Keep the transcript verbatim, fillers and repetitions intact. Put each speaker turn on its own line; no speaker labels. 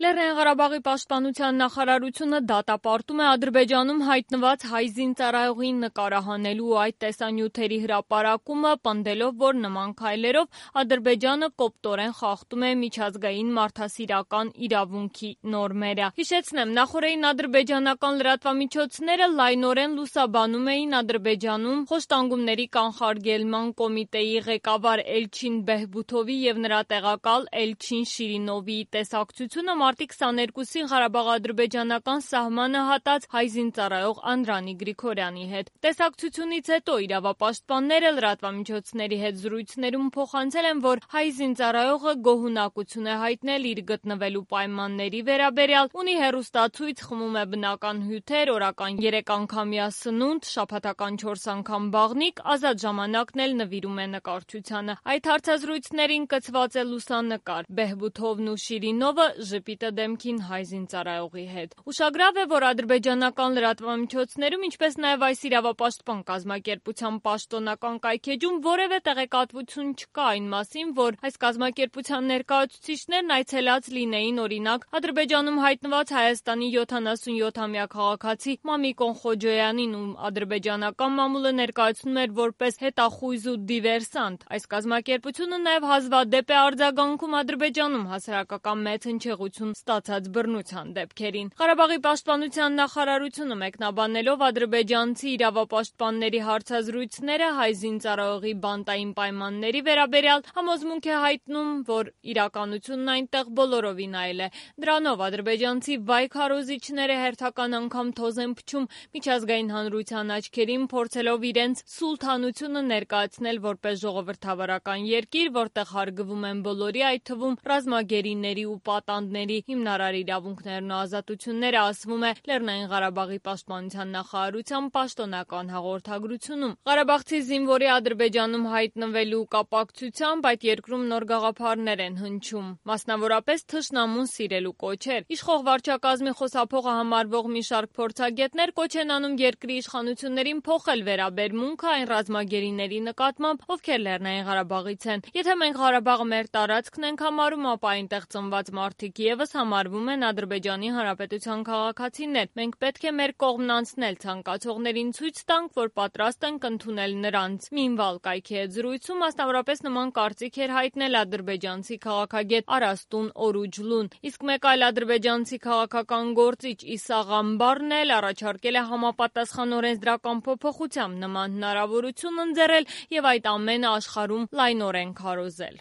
Լեռնային Ղարաբաղի պաշտպանության նախարարությունը դատապարտում է Ադրբեջանում հայտնված հայ զինծառայողին նկարահանելու այդ տեսանյութերի հրապարակումը, պնդելով, որ նման քայլերով Ադրբեջանը կոպտորեն խախտում է միջազգային մարդասիրական իրավունքի նորմերը։ Հիշեցնեմ, նախօրեին ադրբեջանական լրատվամիջոցները լայնորեն լուսաբանում էին Ադրբեջանում խոշտանգումների կանխարգելման կոմիտեի ղեկավար Էլչին Բեհբութովի և նրա տեղակալ Էլչին Շիրինովի տեսակցությունը մարտի քսաներկուսին Ղարաբաղ-ադրբեջանական սահմանը հատած հայ զինծառայող Անդրանիկ Գրիգորյանի հետ։ Տեսակցությունից հետո իրավապաշտպանները լրատվամիջոցների հետ զրույցներում փոխանցել են, որ հայ զինծառայողը գոհունակություն է հայտնել իր գտնվելու պայմանների վերաբերյալ, ունի հեռուստացույց, խմում է բնական հյութեր, օրական երեք անգամյա սնունդ, շաբաթական չորս անգամ բաղնիք, ազատ ժամանակն էլ նվիրում է նկարչությանը։ Այդ հարցազրույցներին կցված է լուսանկար։ Բեհբութովն ու Շիրինովը ժպիտը դեմքին հայ զինծառայողի հետ։ Ուշագրավ է, որ ադրբեջանական լրատվամիջոցներում, ինչպես նաև այս իրավապաշտպան կազմակերպության պաշտոնական կայքէջում որևէ տեղեկատվություն չկա այն մասին, որ այս կազմակերպության ներկայացուցիչներն այցելած լինեին օրինակ Ադրբեջանում հայտնված Հայաստանի յոթանասունյոթամյա քաղաքացի Մամիկոն Խոջոյանին, ում ադրբեջանական մամուլը ներկայացնում էր որպես հետախույզ ու դիվերսանտ։ Այս կազմակերպությունը նաև հազվադեպ է արձագանքում Ադրբեջանում հասարակական մեծ հնչեղություն ստացած բռնության դեպքերին։ Ղարաբաղի պաշտպանության նախարարությունը մեկնաբանելով ադրբեջանցի իրավապաշտպանների հարցազրույցները հայ զինծառայողի բանտային պայմանների վերաբերյալ համոզմունք է հայտնում, որ իրականությունն այնտեղ բոլորովին այլ է։ Դրանով ադրբեջանցի վայ քարոզիչները հերթական անգամ թոզ են փչում միջազգային հանրության աչքերին, փորձելով իրենց սուլթանությունը ներկայացնել որպես ժողովրդավարական երկիր, որտեղ հարգվում են բոլորի, այդ թվում ռազմագերիների ու պատանդների հիմնարար իրավունքներն ու ազատությունները, ասվում է Լեռնային Ղարաբաղի պաշտպանության նախարարության պաշտոնական հաղորդագրությունում։ Ղարաբաղցի զինվորի Ադրբեջանում հայտնվելու կապակցությամբ այդ երկրում նոր գաղափարներ են հնչում, մասնավորապես թշնամուն սիրելու կոչեր։ Իշխող վարչակազմի խոսափողը համարվող մի շարք փորձագետներ կոչ են անում երկրի իշխանություններին փոխել վերաբերմունքը այն ռազմագերիների նկատմամբ, ովքեր Լեռնային Ղարաբաղից են։ Եթե մենք Ղարաբաղը մեր տարածքն ենք համարում, ապա այնտեղ ծնված մարդիկ ևս համարվում են Ադրբեջանի Հանրապետության քաղաքացիներ։ Մենք պետք է մեր կողմն անցնել, ցանկացողներին ցույց տանք, որ պատրաստ ենք ընդունել նրանց։ Մինվալ կայքի հետ զրույցում մասնավորապես նման կարծիք էր հայտնել ադրբեջանցի քաղաքագետ Արաստուն Օրուջլուն։ Իսկ մեկ այլ ադրբեջանցի քաղաքական գործիչ Իսա Ղամբարն էլ առաջարկել է համապատասխան օրենսդրական փոփոխությամբ նման հնարավորություն ընձեռել և այդ ամենը աշխարհում լայնորեն քարոզել։